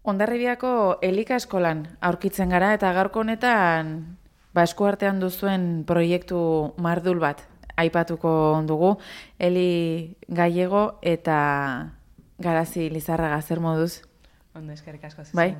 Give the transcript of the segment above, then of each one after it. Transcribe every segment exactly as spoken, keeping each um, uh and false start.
Hondarribiako Elika eskolan aurkitzen gara eta gaurko honetan ba, eskuartean duzuen proiektu mardul bat aipatuko dugu. Eli Gallego eta Garazi Lizarraga, zer moduz? Ondo, eskerrik asko. Bai?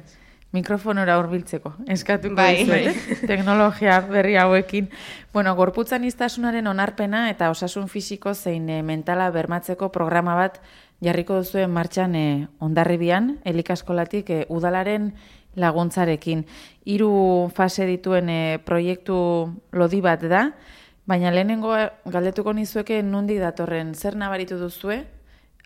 Mikrofonora hurbiltzeko, eskatuko bai, dizuet, bai. Teknologia berri hauekin. Bueno, gorputzan iztasunaren onarpena eta osasun fisiko zein e, mentala bermatzeko programa bat jarriko duzuen martxan e, Hondarribian, Elika eskolatik e, udalaren laguntzarekin. Hiru fase dituen e, proiektu lodi bat da, baina lehenengo galdetuko nizueke nondik datorren, zer nabaritu duzue?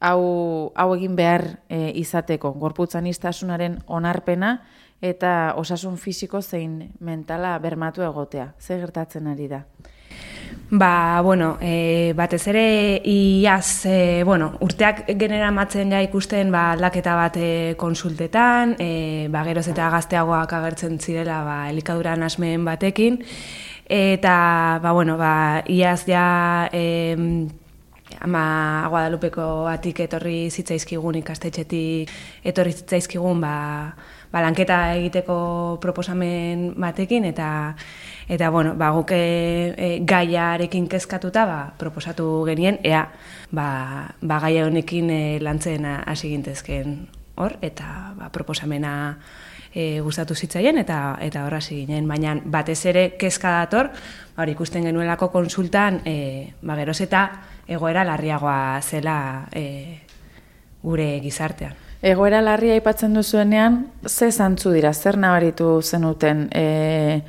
Hau, hau egin behar e, izateko, gorputzan iztasunaren onarpena eta osasun fisiko zein mentala bermatu egotea. Zer gertatzen ari da? Ba, bueno, e, batez ere iaz, e, bueno, urteak genera matzen ja ikusten ba, aldaketa bat e, konsultetan, e, ba, geroz eta gazteagoak agertzen zirela ba, elikaduran asmeen batekin, eta, ba, bueno, ba, iaz ja... E, Ama Guadalupeko atik etorri zitzaizkigun ikastetxetik, etorri zitzaizkigun ba, ba, lanketa egiteko proposamen batekin, eta eta bueno, ba, guk e, gaiarekin kezkatuta ba, proposatu genien, ea ba, ba, gaia honekin e, lantzen hasi gintezken hor, eta ba, proposamena e, gustatu zitzaien, eta eta hor hasi ginen, baina batez ere kezka dator, ba, ikusten genuelako konsultan, e, ba, geroz eta egoera larriagoa zela e, gure gizartean. Egoera larria aipatzen duzuenean, ze zantzu dira, zer nabaritu zenuten, e,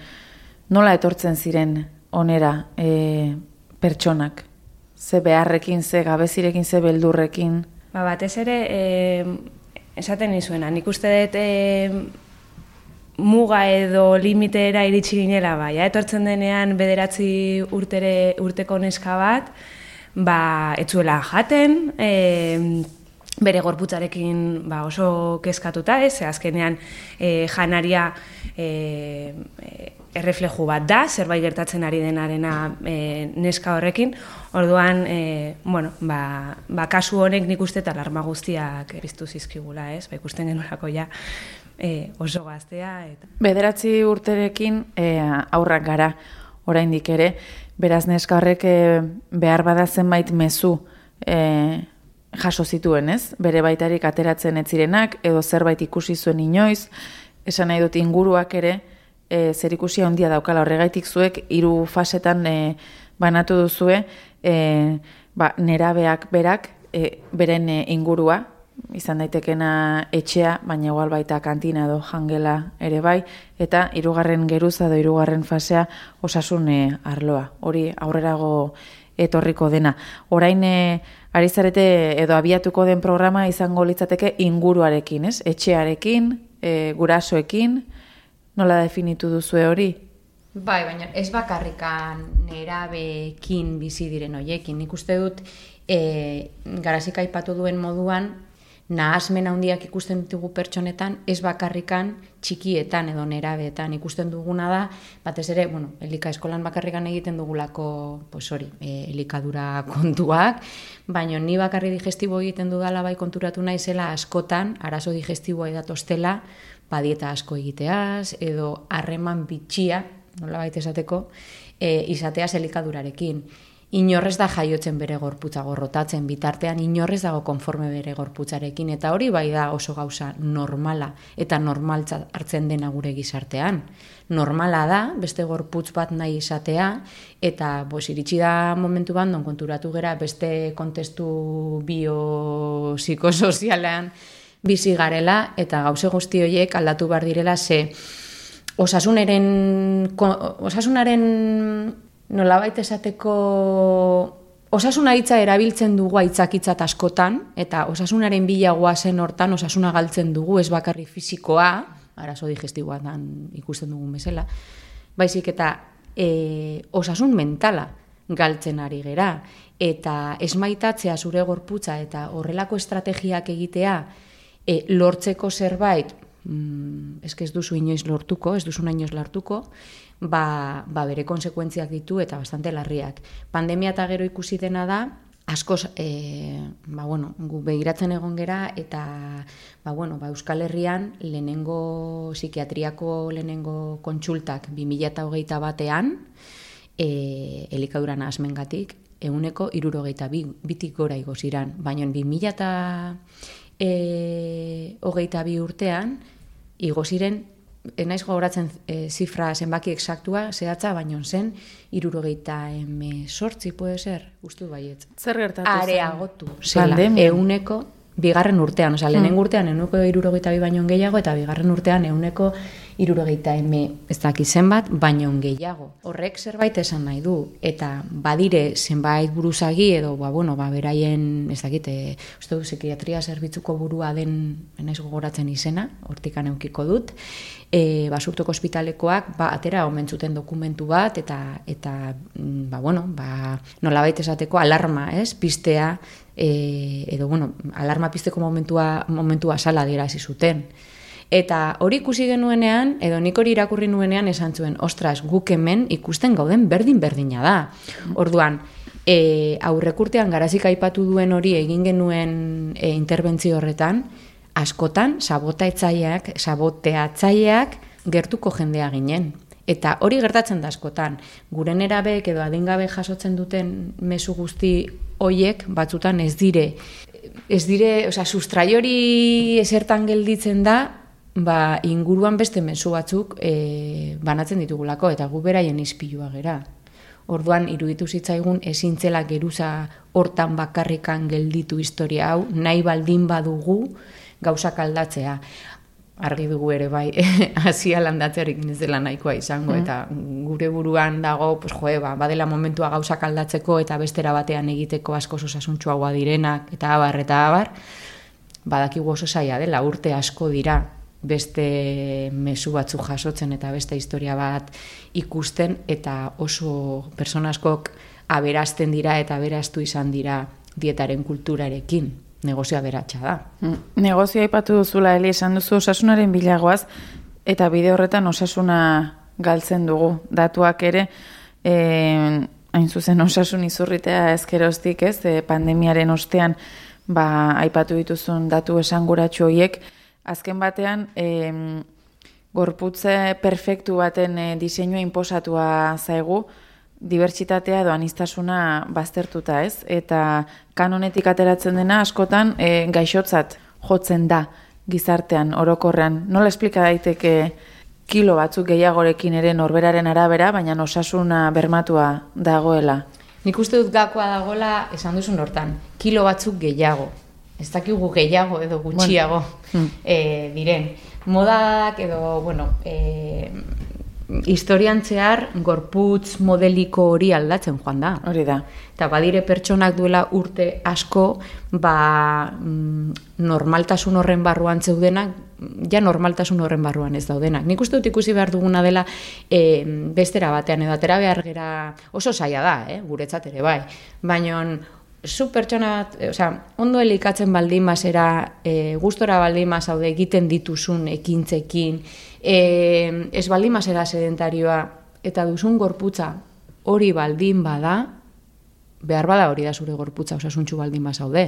nola etortzen ziren onera e, pertsonak? Ze beharrekin, ze gabezirekin, ze beldurrekin? Ba, batez ere, e, esaten nizuena, nik uste dut e, muga edo limitera iritsi ginela, ba, ja, etortzen denean bederatzi urtere, urteko neska bat, ba, etzuela jaten, e, bere gorputzarekin ba, oso kezkatuta, ez, azkenean e, janaria e, errefleju bat da, zerbait gertatzen ari denarena e, neska horrekin, orduan, e, bueno, ba, ba, kasu honek nik uste eta alarma guztiak piztu zizkigula, ez, ba, ikusten genuelako ja e, oso gaztea. Eta... Bederatzi urterekin e, aurrak gara, oraindik ere, beraz neska horrek e, behar bada zenbait mezu e, jaso zituen, ez? Bere baitarik ateratzen ez zirenak, edo zerbait ikusi zuen inoiz, esan nahi dut inguruak ere, e, zer ikusia handia daukala horregaitik zuek, hiru fasetan e, banatu duzue, e, ba, nerabeak berak, e, beren e, ingurua, izan daitekena etxea, baina igual baita kantina edo jangela ere bai, eta hirugarren geruza edo hirugarren fasea osasun arloa. Hori aurrerago etorriko dena. Orain e, ari zarete edo abiatuko den programa izango litzateke inguruarekin, ez? Etxearekin, e, gurasoekin, nola definitu duzue hori? Bai, baina ez bakarrikan nerabeekin bizi diren hoiekin. Nik uste dut e, Garazik aipatu duen moduan, nahasmen handiak ikusten ditugu pertsonetan, ez bakarrikan txikietan edo nerabeetan ikusten duguna da, batez ere, bueno, Elika eskolan bakarrikan egiten dugulako, pues hori, e, elikadura kontuak, baina ni bakarri digestibo egiten dudala bai konturatu naizela askotan, arazo digestiboa edatostela, badieta asko egiteaz, edo harreman bitxia, nola baita esateko, e, izateaz elikadurarekin. Inorrez da jaiotzen bere gorputza gorrotatzen, bitartean inorrez dago konforme bere gorputzarekin, eta hori bai da oso gauza normala, eta normaltza hartzen dena gure gizartean. Normala da, beste gorputz bat nahi izatea, eta bos, iritsi da momentu bat, non konturatu gera beste kontestu biopsikosozialean bizi garela, eta gauze guzti horiek aldatu behar direla, ze osasunaren... osasunaren nolabait esateko osasuna hitza erabiltzen dugu aitzakitzat askotan, eta osasunaren bilagoa zen hortan osasuna galtzen dugu, ez bakarri fisikoa, arazo digestiboan ikusten dugun bezala, baizik eta e, osasun mentala galtzen ari gera, eta esmaitatzea zure gorputza eta horrelako estrategiak egitea e, lortzeko zerbait, mm, ez ez duzu inoiz lortuko, ez duzu inoiz lortuko, Ba, ba bere konsekuentziak ditu eta bastante larriak. Pandemia eta gero ikusi dena da, askoz, e, ba, bueno, gu begiratzen egon gera, eta ba, bueno, ba, Euskal Herrian lehenengo psikiatriako lehenengo kontsultak bi mila hogeita batean, e, elikadura nahasmengatik, ehuneko hirurogeita bi, bitik gora igo ziran, baina bi mila hogeita bi urtean, igo ziren, enaiz gogoratzen e, zifra zenbaki exaktua, zehatza, baino zen, irurogeita emezortzi, puede ser, ustu baiet. Zer gertatu zen? Areagotu, zela, Pandemia. euneko, bigarren urtean, osea, lehenengo urtean euneko irurogeita bi baino gehiago, eta bigarren urtean euneko irurogeita eme ez daki zenbat, baino gehiago. Horrek zerbait esan nahi du, eta badire zenbait buruzagi, edo, ba, bueno, ba, beraien, ez dakit, e, uste du, psikiatria zerbitzuko burua den, enaiz gogoratzen izena, hortikan eukiko dut, e, basurtoko ospitalekoak, ba, atera omen zuten dokumentu bat, eta, eta ba, bueno, ba, nolabait esateko alarma, ez, pistea, e, edo, bueno, alarma pisteko momentua, momentua sala adierazi zuten. Eta hori ikusi genuenean, edo nik hori irakurri nuenean esan zuen, ostras, guk hemen ikusten gauden berdin-berdina da. Orduan, e, aurrekurtean garazik aipatu duen hori egin genuen e, interbentzio horretan, askotan sabotaetzaileak, saboteatzaileak gertuko jendea ginen. Eta hori gertatzen da askotan. Gure nerabeek edo adingabe jasotzen duten mezu guzti hoiek batzutan ez dire, ez dire, osea, sustrai hori esertan gelditzen da, ba, inguruan beste mezu batzuk e, banatzen ditugulako, eta gu beraien ispilua gera. Orduan, iruditu zitzaigun ezintzela geruza hortan bakarrikan gelditu historia hau, nahi baldin badugu gauzak aldatzea. Argi dugu ere bai, hasia landatzearekin ez dela nahikoa izango, mm. eta gure buruan dago, pues, joe, ba, badela momentua gauzak aldatzeko eta bestera batean egiteko asko osasuntsuagoa direnak, eta abar, eta abar, badakigu oso zaila dela, urte asko dira beste mezu batzu jasotzen eta beste historia bat ikusten, eta oso persona askok aberazten dira eta aberastu izan dira dietaren kulturarekin. Negozioa beratxa da. Negozioa aipatu duzula, Eli, esan duzu osasunaren bilagoaz, eta bide horretan osasuna galtzen dugu. Datuak ere, eh, hain zuzen osasun izurritea ezkeroztik, ez, eh, pandemiaren ostean, ba, aipatu dituzun datu esanguratsu horiek, azken batean, eh, gorputze perfektu baten eh, diseinua inposatua zaigu, dibertsitatea edo aniztasuna baztertuta, ez? Eta kanonetik ateratzen dena askotan e, gaixotzat jotzen da gizartean, orokorrean. Nola esplika daiteke kilo batzuk gehiagorekin ere norberaren arabera, baina osasuna bermatua dagoela? Nik uste dut gakoa dagoela esan duzun hortan, kilo batzuk gehiago. Ez dakigu gehiago edo gutxiago bueno. e, diren. Modak edo, bueno, e, historian zehar gorputz modeliko hori aldatzen joan da. Hori da. Eta badire pertsonak duela urte asko, ba, normaltasun horren barruan zeudenak, ja normaltasun horren barruan ez daudenak. Nik uste dut ikusi behar duguna dela e, bestera batean edo atera behar gera oso zaila da, eh, guretzat ere bai. Baina zu pertsona, osea, ondo elikatzen baldin bazera, e, gustora baldin bazaude egiten dituzun ekintzekin, e, ez baldin bazera sedentarioa eta duzun gorputza hori baldin bada, behar bada hori da zure gorputza osasuntsu baldin bazaude.